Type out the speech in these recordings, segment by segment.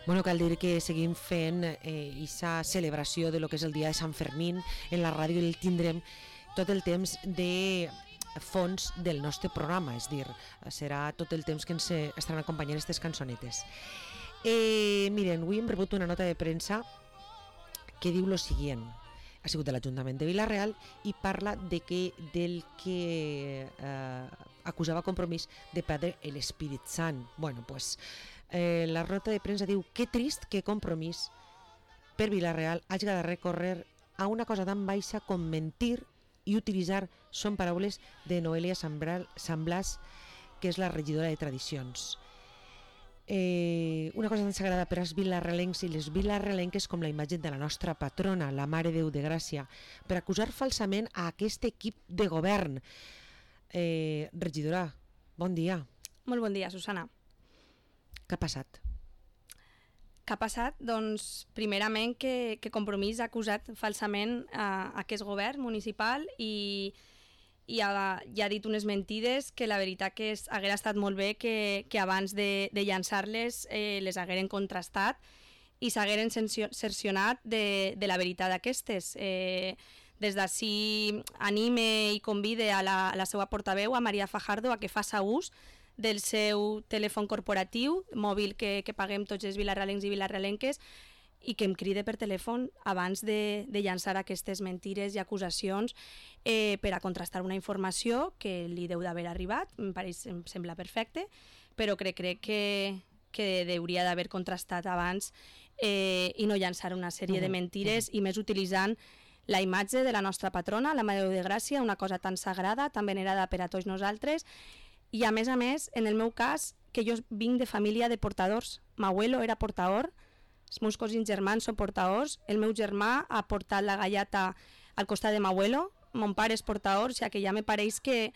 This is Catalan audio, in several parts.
Bueno, cal dir que seguim fent aquesta celebració de lo que és el dia de Sant Fermín en la ràdio i el tindrem tot el temps de fons del nostre programa, és dir, serà tot el temps que ens estaran acompanyant aquestes cançonetes. Miren, avui hem rebut una nota de premsa que diu lo següent. Ha sigut de l'Ajuntament de Vila-real i parla del que acusava Compromís de perdre l'Espírit Sant. Bueno, pues la nota de premsa diu: que trist que Compromís per Vila-real hagi de recórrer a una cosa tan baixa com mentir i utilitzar, són paraules de Noelia Sant Blas, que és la regidora de Tradicions. Una cosa tan sagrada per als vilarrealencs i les vilarrealenques com la imatge de la nostra patrona, la Mare Déu de Gràcia, per acusar falsament a aquest equip de govern. Regidora, bon dia. Molt bon dia, Susana. Què ha passat? Què ha passat? Doncs, primerament, que Compromís ha acusat falsament a aquest govern municipal i ha dit unes mentides que la veritat que haguera estat molt bé que abans de llançar-les les hagueren contrastat i s'hagueren cercionat de la veritat d'aquestes. Des d'ací anime i convide a la seva portaveu, a Maria Fajardo, a que faça ús del seu telèfon corporatiu mòbil que paguem tots els vilarrealencs i vilarrealenques i que em cride per telèfon abans de llançar aquestes mentires i acusacions per a contrastar una informació que li deu d'haver arribat, em sembla perfecte, però crec que hauria d'haver contrastat abans i no llançar una sèrie de mentires i més utilitzant la imatge de la nostra patrona, la Mare Déu de Gràcia, una cosa tan sagrada, tan venerada per a tots nosaltres. I a més, en el meu cas, que jo vinc de família de portadors. M'abuelo era portador, els meus cosins germans són portadors, el meu germà ha portat la gallata al costat de m'abuelo, mon pare és portador, o sigui que ja me pareix que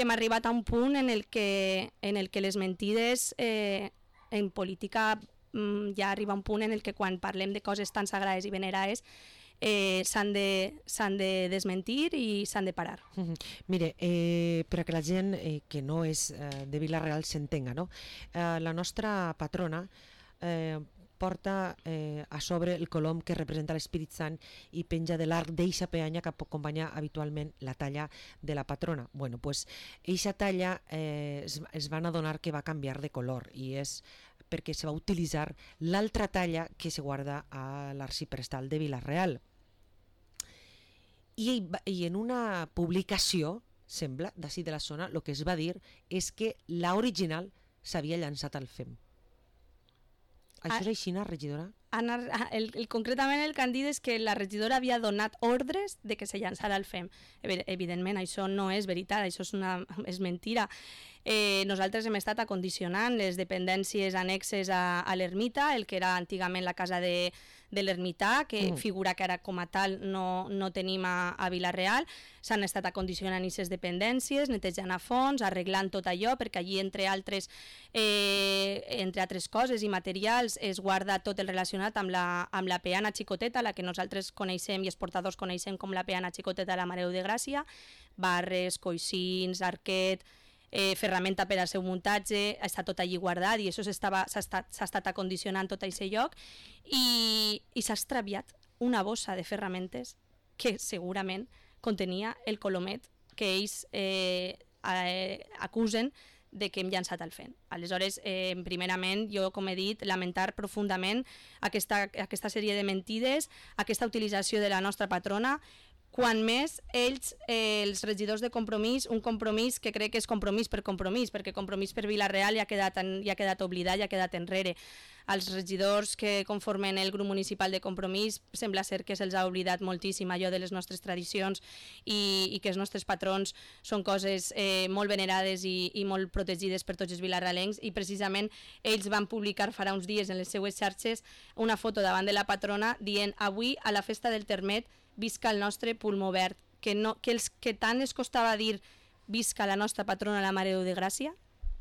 m'ha arribat a un punt en el que les mentides en política ja arriba un punt en el que quan parlem de coses tan sagrades i venerades s'han de desmentir i s'han de parar. Mire, per a que la gent que no és de Vila-real s'entenga, no? La nostra patrona porta a sobre el colom que representa l'Espírit Sant i penja de l'arc d'eixa peanya que acompanya habitualment la talla de la patrona. Bueno, pues eixa talla es van adonar que va canviar de color i és perquè se va utilitzar l'altra talla que se guarda a l'arxiprestal de Vila-real. I en una publicació, sembla, d'ací de la zona, el que es va dir és que l'original s'havia llançat al FEM. Això és així, regidora? Concretament el que han dit és que la regidora havia donat ordres de que se llançara al FEM. Evidentment, això no és veritat, això és mentira. Nosaltres hem estat acondicionant les dependències annexes a l'ermita, el que era antigament la casa de l'ermità, que figura que ara com a tal no tenim a Vila-real. S'han estat acondicionant aquestes dependències, netejant a fons, arreglant tot allò, perquè allí, entre altres coses i materials, es guarda tot el relacionat amb la peana xicoteta, la que nosaltres coneixem i els portadors coneixem com la peana xicoteta de la Mare Déu de Gràcia, barres, coixins, arquet, ferramenta per al seu muntatge, està tot allí guardat i això s'ha estat acondicionant tot aquest lloc i s'ha extraviat una bossa de ferramentes que segurament contenia el colomet que ells acusen de que hem llançat al FEM. Aleshores, primerament, jo, com he dit, lamentar profundament aquesta sèrie de mentides, aquesta utilització de la nostra patrona, quan més ells, els regidors de Compromís, un compromís que crec que és compromís, perquè Compromís per Vila-real ja ha quedat oblidat, ja ha quedat enrere. Els regidors que conformen el grup municipal de Compromís sembla ser que se'ls ha oblidat moltíssim allò de les nostres tradicions i que els nostres patrons són coses molt venerades i molt protegides per tots els vilarrealencs i precisament ells van publicar farà uns dies en les seues xarxes una foto davant de la patrona dient: avui a la festa del Termet visca el nostre pulmó verd, que tant es costava dir visca la nostra patrona la Mare Déu de Gràcia,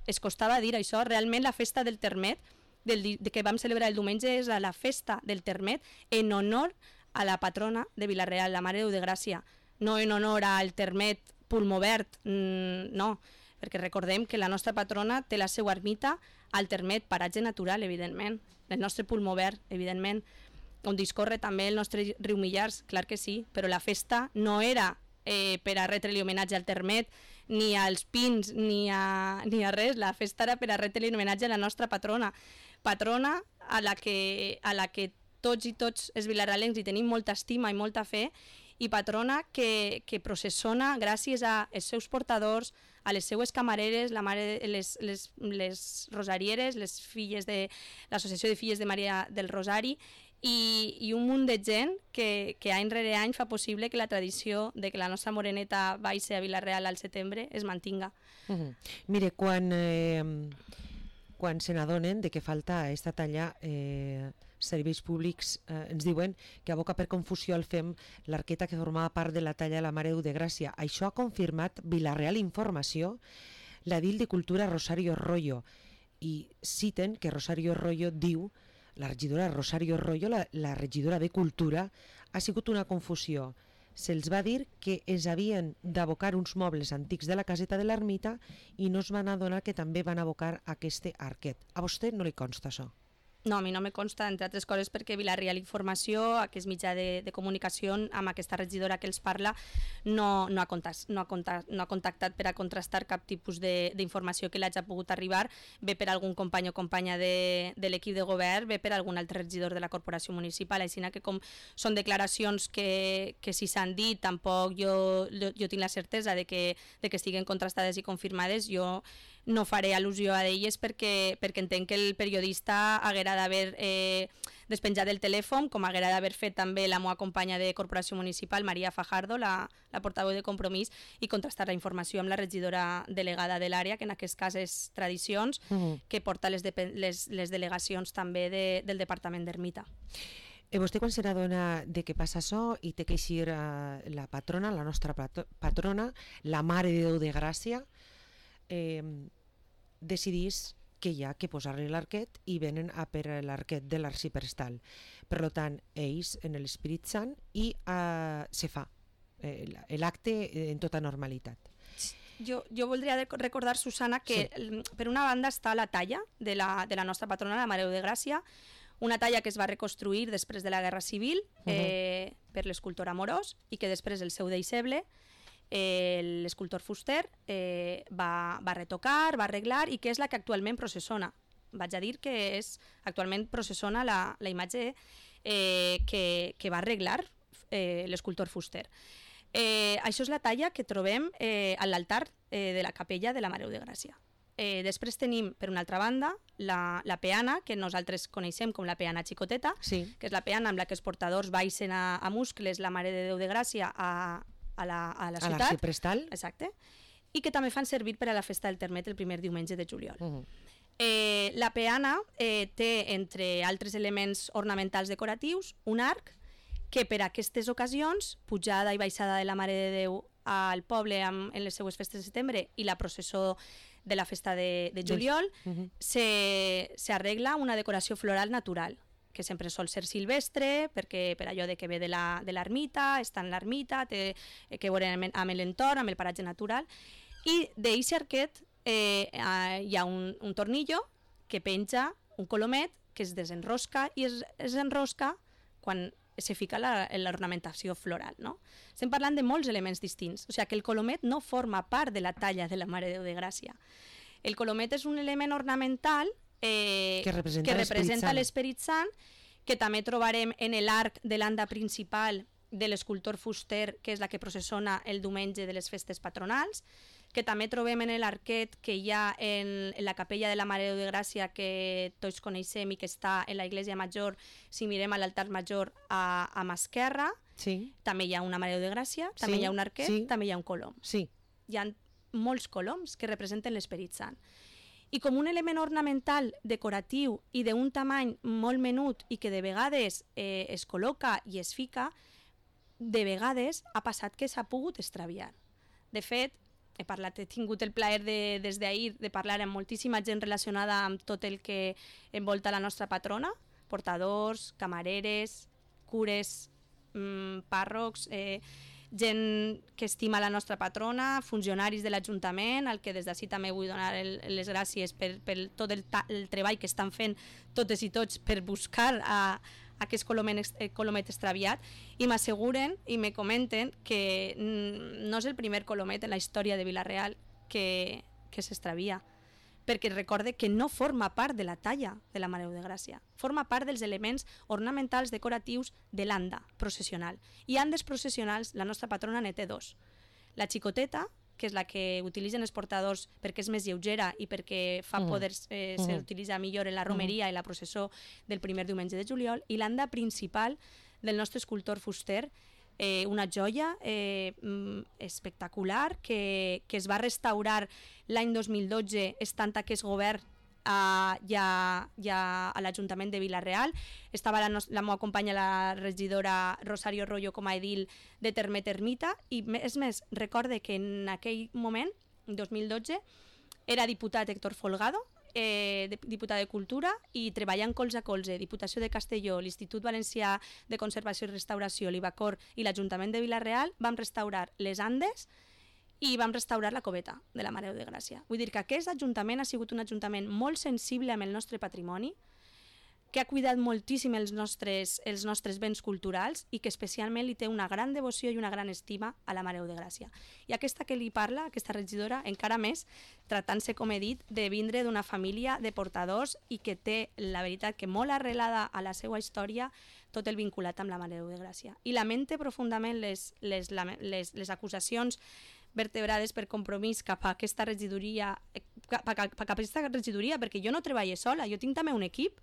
es costava dir això. Realment la festa del Termet que vam celebrar el diumenge és la festa del Termet en honor a la patrona de Vila-real, la Mare Déu de Gràcia, no en honor al Termet pulmó verd, no, perquè recordem que la nostra patrona té la seva ermita al Termet, paratge natural, evidentment. el nostre pulmó verd, evidentment, on discorre també el nostre riu Millars, clar que sí, però la festa no era per a retre-li homenatge al Termet, ni als pins, ni a res, la festa era per a retre-li homenatge a la nostra patrona, a la que tots i tots els vilarealencs hi tenim molta estima i molta fe, i patrona que processona gràcies als seus portadors, a les seues camareres, les rosarieres, les filles de l'Associació de Filles de Maria del Rosari, i un munt de gent que any rere any fa possible que la tradició de que la nostra moreneta baixi a Vila-real al setembre es mantinga. Mire, quan se n'adonen de que falta aquesta talla serveis públics, ens diuen que aboca per confusió el FEM l'arqueta que formava part de la talla de la Mare de Gràcia. Això ha confirmat Vila-real Informació, l'edil de Cultura Rosario Royo, i citen que Rosario Royo diu, la regidora Rosario Royo, la regidora de Cultura, ha sigut una confusió. Se'ls va dir que es havien d'abocar uns mobles antics de la caseta de l'ermita i no es van adonar que també van abocar aquest arquet. A vostè no li consta això? No, a mi no me consta, entre altres coses, perquè Vila-real Informació, aquest mitjà de comunicació, amb aquesta regidora que els parla, no ha contactat per a contrastar cap tipus d'informació que l'hagi pogut arribar, bé per algun company o companya de l'equip de govern, bé per algun altre regidor de la corporació municipal, així que com són declaracions que si s'han dit, tampoc jo tinc la certesa de que estiguen contrastades i confirmades, jo no faré al·lusió a elles perquè entenc que el periodista haguera d'haver despenjat el telèfon, com haguera d'haver fet també la meva companya de corporació municipal, Maria Fajardo, la portaveu de Compromís, i contrastar la informació amb la regidora delegada de l'àrea, que en aquest cas és Tradicions, que porta les delegacions també del Departament d'Ermita. Vostè quan se n'adona de què passa això i té que eixir la patrona, la nostra patrona, la Mare de Déu de Gràcia, decidís que hi ha que posar-li l'arquet i venen a per l'arquet de l'arxiprestal. Per tant, ells en l'Espírit Sant i se fa l'acte en tota normalitat. Jo voldria recordar, Susana, que per una banda està la talla de la nostra patrona, la Mare de Gràcia, una talla que es va reconstruir després de la Guerra Civil per l'escultor Amorós i que després el seu deixeble, l'escultor Fuster, va retocar, va arreglar i que és la que actualment processona. Vaig a dir que actualment processona la imatge que va arreglar l'escultor Fuster. Això és la talla que trobem a l'altar de la capella de la Mare de Gràcia. Després tenim, per una altra banda, la peana, que nosaltres coneixem com la peana xicoteta, que és la peana amb la que els portadors baixen a Muscles, la Mare de Déu de Gràcia, a la ciutat. A l'arxiprestal. Exacte. I que també fan servir per a la festa del Termet el primer diumenge de juliol. La peana té, entre altres elements ornamentals decoratius, un arc que per a aquestes ocasions, pujada i baixada de la Mare de Déu al poble en les seues festes de setembre i la processó de la festa de juliol, s'arregla una decoració floral natural, que sempre sol ser silvestre, perquè per allò de que ve de l'ermita, està en l'ermita, té que veure amb l'entorn, amb el paratge natural, i d'aquest arquet hi ha un tornillo que penja un colomet que es desenrosca i es enrosca quan se fica l'ornamentació floral. Estem parlant de molts elements distints, o sigui que el colomet no forma part de la talla de la Mare de Déu de Gràcia. El colomet és un element ornamental que representa l'Esperit Sant, que també trobarem en l'arc de l'anda principal de l'escultor Fuster, que és la que processona el diumenge de les festes patronals, que també trobem en l'arquet que hi ha en la capella de la Mare de Déu de Gràcia, que tots coneixem i que està en la Iglesia Major. Si mirem a l'altar major a mà esquerra, també hi ha una Mare de Déu de Gràcia, també hi ha un arquet, també hi ha un colom. Hi ha molts coloms que representen l'Esperit Sant. I com un element ornamental decoratiu i d'un tamany molt menut i que de vegades es col·loca i es fica, de vegades ha passat que s'ha pogut extraviar. De fet, he tingut el plaer des d'ahir de parlar amb moltíssima gent relacionada amb tot el que envolta la nostra patrona, portadors, camareres, cures, pàrrocs, gent que estima la nostra patrona, funcionaris de l'Ajuntament, al que des d'ací també vull donar les gràcies per tot el treball que estan fent totes i tots per buscar aquest colomet extraviat, i m'asseguren i me comenten que no és el primer colomet en la història de Vila-real que s'extravia, perquè recorde que no forma part de la talla de la Mare de Gràcia, forma part dels elements ornamentals decoratius de l'anda processional. I andes processionals, la nostra patrona ne té dos. La xicoteta, que és la que utilitzen els portadors perquè és més lleugera i perquè fa poder s'utilitza millor en la romeria i la processó del primer diumenge de juliol, i l'anda principal del nostre escultor fuster, una joia espectacular que es va restaurar l'any 2012 estant aquest govern ja a l'Ajuntament de Vila-real. Estava la meva companya, la regidora Rosario Royo, com a edil de Termita, i és més, recorde que en aquell moment, 2012, era diputat Héctor Folgado, diputat de Cultura, i treballant colze a colze Diputació de Castelló, l'Institut Valencià de Conservació i Restauració, l'Ibacor i l'Ajuntament de Vila-real, vam restaurar les Andes i vam restaurar la coveta de la Mare de Gràcia. Vull dir que aquest ajuntament ha sigut un ajuntament molt sensible amb el nostre patrimoni, que ha cuidat moltíssim els nostres béns culturals i que especialment li té una gran devoció i una gran estima a la Mare de Gràcia. I aquesta que li parla, aquesta regidora, encara més, tractant-se, com he dit, de vindre d'una família de portadors i que té, la veritat, que molt arrelada a la seva història, tot el vinculat amb la Mare de Gràcia. I lamente profundament les acusacions vertebrades per Compromís cap a aquesta regidoria, perquè jo no treballo sola, jo tinc també un equip.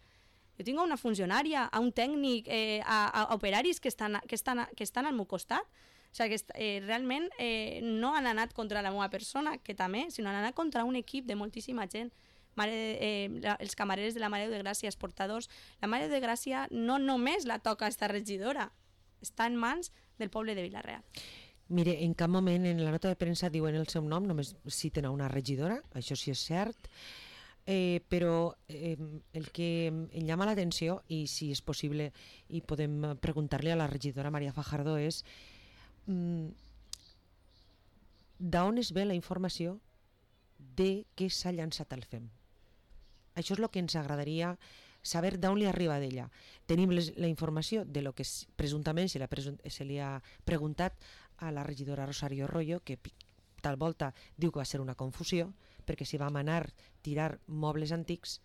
Jo tinc una funcionària, un tècnic, a operaris que estan al meu costat. O sigui, realment no han anat contra la meva persona, que també, sinó han anat contra un equip de moltíssima gent. Els camarers de la Mare de Gràcia, els portadors. La Mare de Gràcia no només la toca esta regidora, està en mans del poble de Vila-real. Mire, en cap moment en la nota de premsa diuen el seu nom, només citen a una regidora, això sí és cert. Però el que em llama l'atenció, i si és possible i podem preguntar-li a la regidora Maria Fajardo, és d'on es ve la informació de que s'ha llançat el FEM. Això és el que ens agradaria saber, d'on li arriba d'ella. Tenim la informació de lo que presumptament se li ha preguntat a la regidora Rosario Royo, que tal volta diu que va ser una confusió, perquè si vam anar a tirar mobles antics,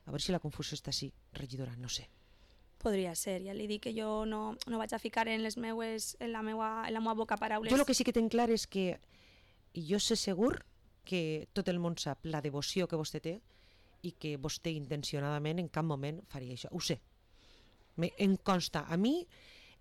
a veure si la confusió està així, regidora, no sé. Podria ser, ja li dic que jo no vaig a ficar en la meva boca paraules. Jo el que sí que tinc clar és que jo sé segur que tot el món sap la devoció que vostè té i que vostè intencionadament en cap moment faria això. Ho sé. Em consta a mi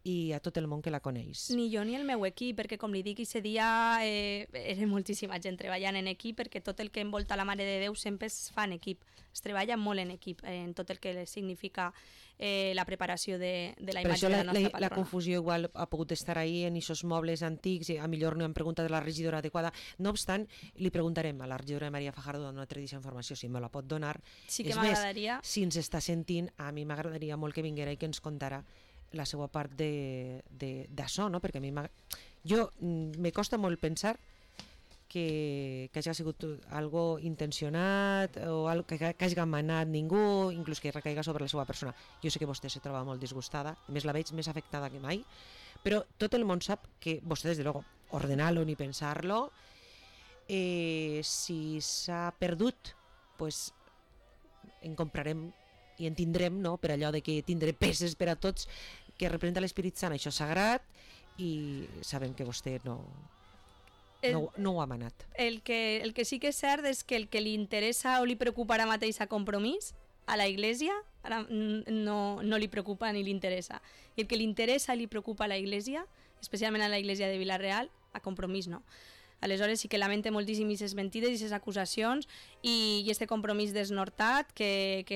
i a tot el món que la coneix. Ni jo ni el meu equip, perquè com li dic, aquest dia era moltíssima gent treballant en equip, perquè tot el que envolta la Mare de Déu sempre es fa en equip, es treballa molt en equip, en tot el que significa la preparació de la imatge de la nostra patrona. La confusió igual ha pogut estar ahí en aquests mobles antics, a millor no hem preguntat a la regidora adequada. No obstant, li preguntarem a la regidora Maria Fajardo d'on ha tret aquesta informació, si me la pot donar. Sí que m'agradaria. Si ens està sentint, a mi m'agradaria molt que vinguera i que ens contara la seva part d'això, no? Perquè a mi me costa molt pensar que hagi sigut algo intencionat o algo que hagi manat ningú, inclús que recaiga sobre la seva persona. Jo sé que vostè se troba molt disgustada, a més la veig més afectada que mai, però tot el món sap que vostè, des de luego, ordenar-lo ni pensar-lo, si s'ha perdut, pues en comprarem i en tindrem, no? Per allò de que tindré peces per a tots, que representa l'Esperit Sant, això és sagrat, i sabem que vostè no ho ha manat. El que sí que és cert és que el que li interessa o li preocupa ara mateix a Compromís, a la Iglesia, ara no li preocupa ni li interessa. I el que li interessa i li preocupa a la Iglesia, especialment a la Iglesia de Vila-real, a Compromís no. Aleshores sí que lamento moltíssim aquestes mentides i aquestes acusacions i este Compromís desnortat que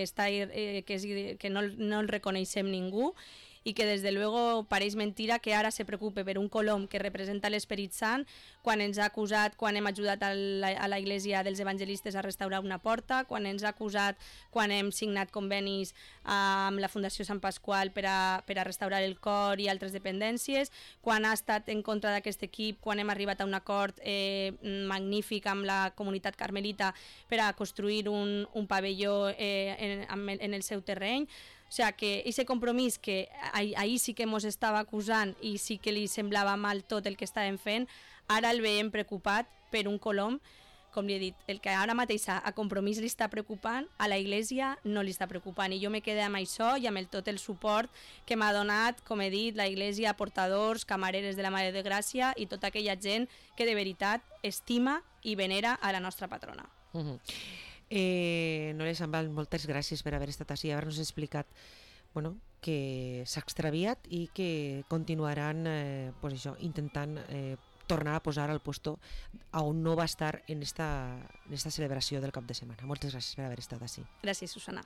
no el reconeixem ningú i que des de luego pareix mentira que ara se preocupe per un colom que representa l'Esperit Sant quan ens ha acusat, quan hem ajudat a la Iglesia dels Evangelistes a restaurar una porta, quan ens ha acusat quan hem signat convenis amb la Fundació Sant Pasqual per a restaurar el cor i altres dependències, quan ha estat en contra d'aquest equip, quan hem arribat a un acord magnífic amb la comunitat carmelita per a construir un pavelló en el seu terreny. O sigui que aquest compromís que ahir sí que ens estava acusant i sí que li semblava mal tot el que estàvem fent, ara el veiem preocupat per un colom. Com li he dit, el que ara mateix a Compromís li està preocupant, a la Iglesia no li està preocupant. I jo me quedé amb això i amb tot el suport que m'ha donat, com he dit, la Iglesia, portadors, camareres de la Mare de Gràcia i tota aquella gent que de veritat estima i venera a la nostra patrona. Núria Sambal, moltes gràcies per haver estat així i haver-nos explicat que s'ha extraviat i que continuaran intentant tornar a posar al puesto on no va estar en esta celebració del cap de setmana. Moltes gràcies per haver estat així. Gràcies, Susana.